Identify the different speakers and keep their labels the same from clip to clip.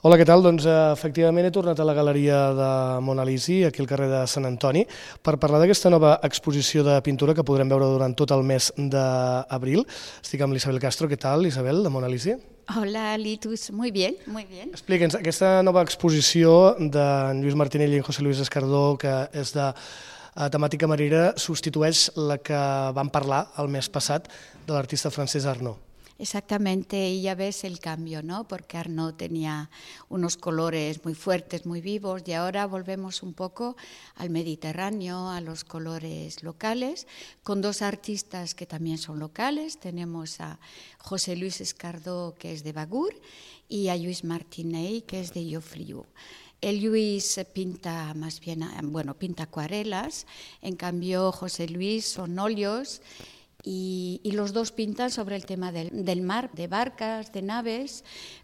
Speaker 1: Hola, què tal? Doncs efectivament he tornat a la galeria de Mona Lisi, aquí al carrer de Sant Antoni, per parlar d'aquesta nova exposició de pintura que podrem veure durant tot el mes d'abril. Estic amb l'Isabel Castro. Què tal, Isabel, de Mona Lisi?
Speaker 2: Hola, Litus. Muy bien, muy bien.
Speaker 1: Explica'ns, aquesta nova exposició d'en Lluís Martinell i en José Luis Escardó, que és de temàtica marina, substitueix la que vam parlar el mes passat de l'artista francès Arnaud.
Speaker 2: Exactamente, y ya ves el cambio, ¿no? Porque Arnaud tenía unos colores muy fuertes, muy vivos, y ahora volvemos un poco al Mediterráneo, a los colores locales, con dos artistas que también son locales. Tenemos a José Luis Escardó, que es de Bagur, y a Lluís Martinell, que es de Llofriu. El Lluís pinta más bien, pinta acuarelas, en cambio José Luis son óleos. Y los dos pintan sobre el tema del mar, de barcas, de naves,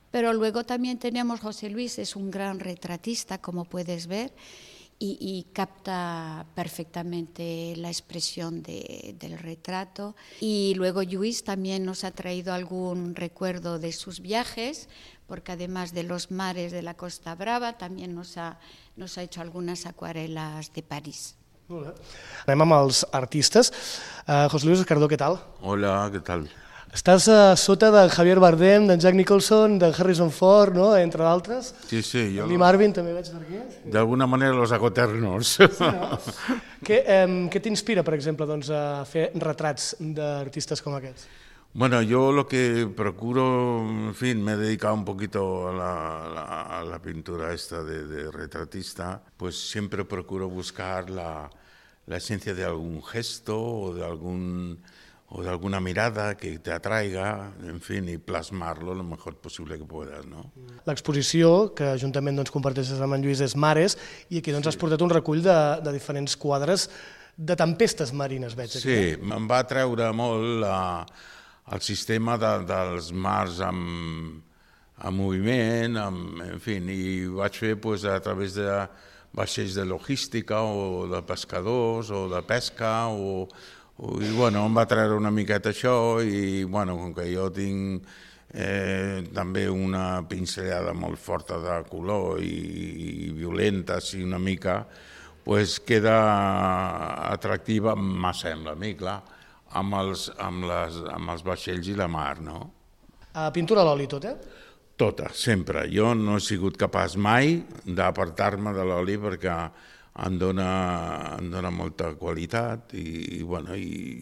Speaker 2: pero luego también tenemos José Luis, es un gran retratista, como puedes ver, y capta perfectamente la expresión del retrato. Y luego Lluís también nos ha traído algún recuerdo de sus viajes, porque además de los mares de la Costa Brava, también nos ha hecho algunas acuarelas de París.
Speaker 1: Molt bé. Anem amb els artistes. José Luis Escardó, què tal?
Speaker 3: Hola, ¿qué tal?
Speaker 1: Estàs sota de Javier Bardem, d'en Jack Nicholson, d'en Harrison Ford, no? Entre d'altres.
Speaker 3: Sí, sí.
Speaker 1: Lee Marvin també veig per aquí.
Speaker 3: De alguna manera los hago eternos.
Speaker 1: Sí, no? Què t'inspira, per exemple, a fer retrats d'artistes com aquests?
Speaker 3: Bueno, yo lo que procuro, en fin, me he dedicado un poquito a la pintura esta de retratista, pues siempre procuro buscar la esencia de algún gesto o de alguna mirada que te atraiga, en fin, y plasmarlo lo mejor posible que puedas, ¿no?
Speaker 1: L'exposició, que juntament comparteixes amb en Lluís, és Mares, i aquí has portat un recull de diferents quadres de tempestes marines, veig aquí.
Speaker 3: Sí, em va atreure molt el sistema dels mars en moviment, en fi, i ho vaig fer a través de vaixells de logística o de pescadors o de pesca i bueno, em va treure una miqueta això i bueno, com que jo tinc també una pinzellada molt forta de color i violenta, així una mica, pues queda atractiva, me sembla a mi, clar, amb els vaixells i la mar, no?
Speaker 1: Pintura a l'oli tot,
Speaker 3: Tota, sempre. Jo no he sigut capaç mai d'apartar-me de l'oli perquè em dona molta qualitat i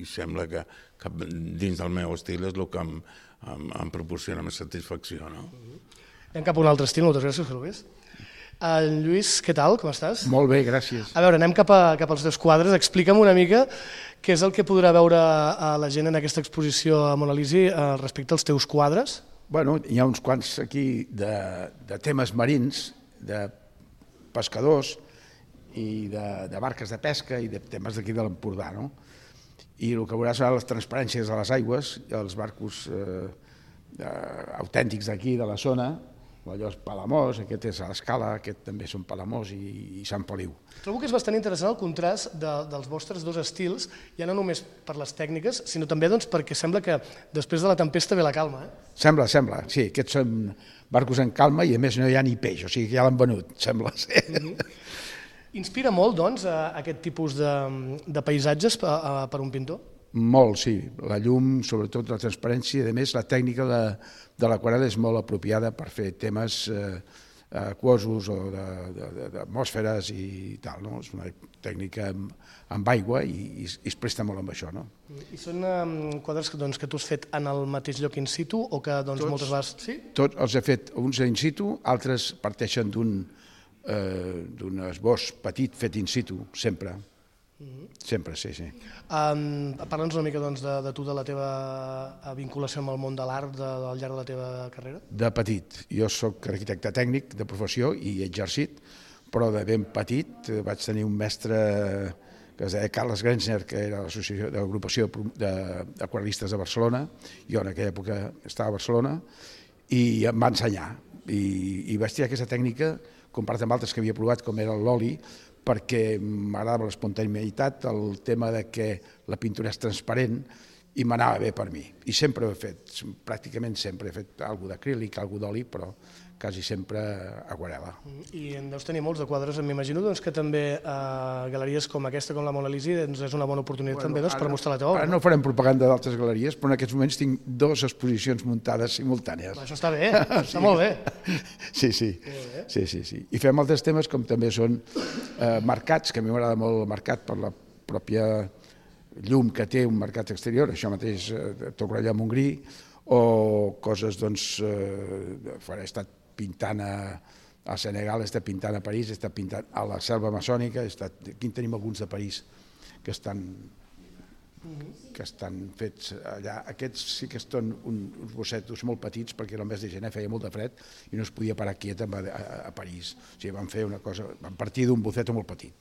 Speaker 3: sembla que dins del meu estil és el que em proporciona més satisfacció, no?
Speaker 1: Anem cap a un altre estil, moltes gràcies, José Luis. Lluís, què tal, com estàs?
Speaker 4: Molt bé, gràcies.
Speaker 1: A veure, anem cap als teus quadres. Explica'm una mica què és el que podrà veure la gent en aquesta exposició a Mona Lisi respecte als teus quadres.
Speaker 4: Bueno, hi ha uns quants aquí de temes marins, de pescadors i de barques de pesca i de temes d'aquí de l'Empordà, no? I el que veuràs seran les transparències de les aigües, els barcos autèntics d'aquí, de la zona. Allò és Palamós, aquest és a l'Escala, aquest també són Palamós i Sant Feliu.
Speaker 1: Trobo que és bastant interessant el contrast dels vostres dos estils, ja no només per les tècniques, sinó també perquè sembla que després de la tempesta ve la calma.
Speaker 4: Sembla, sí, aquests són barcos en calma i a més no hi ha ni peix, o sigui que ja l'han venut, sembla ser.
Speaker 1: Inspira molt, doncs, aquest tipus de paisatges per un pintor?
Speaker 4: Molt, sí. La llum, sobretot la transparència, i a més la tècnica de l'aquarel·la és molt apropiada per fer temes aquosos o d'atmosferes i tal, no? És una tècnica amb aigua i es presta molt amb això, no?
Speaker 1: I són quadres que tu has fet en el mateix lloc in situ o que moltes vegades... Sí?
Speaker 4: Tots els he fet uns in situ, altres parteixen d'un esbós petit fet in situ, sempre. Sempre, sí.
Speaker 1: Parla'ns una mica de tu, de la teva vinculació amb el món de l'art al llarg de la teva carrera.
Speaker 4: De petit. Jo soc arquitecte tècnic de professió i he exercit, però de ben petit vaig tenir un mestre que es deia Carles Grenzner, que era de l'agrupació d'aquarel·listes de Barcelona. Jo en aquella època estava a Barcelona i em va ensenyar. I vaig triar aquesta tècnica, comparat amb altres que havia provat, com era l'oli, perquè m'agradava l'espontaneïtat, el tema de que la pintura és transparent, i m'anava bé per mi. I sempre ho he fet, pràcticament sempre he fet alguna d'acrílic, alguna d'oli, però quasi sempre aquarel·la.
Speaker 1: I en deus tenir molts de quadres, m'imagino que també galeries com aquesta, com la Mona Lisa, és una bona oportunitat també per mostrar la teva obra.
Speaker 4: Ara no farem propaganda d'altres galeries, però en aquests moments tinc 2 exposicions muntades simultànies.
Speaker 1: Això està bé, està molt bé.
Speaker 4: Sí. I fem altres temes com també són mercats, que a mi m'agrada molt el mercat per la pròpia llum que té un mercat exterior, això mateix Torroella de Montgrí, o coses, doncs, he estat pintant a Senegal, he estat pintant a París, he estat pintant a la selva amazònica, aquí en tenim alguns de París que estan fets allà. Aquests sí que són uns bossetos molt petits perquè el mes de gener feia molt de fred i no es podia parar quiet a París. O sigui, van fer una cosa, van partir d'un boceto molt petit.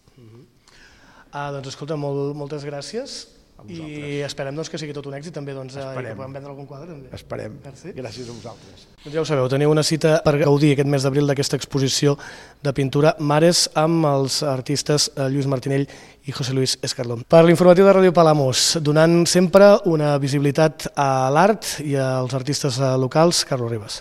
Speaker 1: Doncs escolta, moltes gràcies i esperem que sigui tot un èxit també i que puguem vendre algun quadre.
Speaker 4: Esperem, gràcies a vosaltres.
Speaker 1: Doncs ja ho sabeu, teniu una cita per gaudir aquest mes d'abril d'aquesta exposició de pintura Mares amb els artistes Lluís Martinell i José Luis Escardón. Per l'informatiu de Ràdio Palamós, donant sempre una visibilitat a l'art i als artistes locals, Carlos Ribas.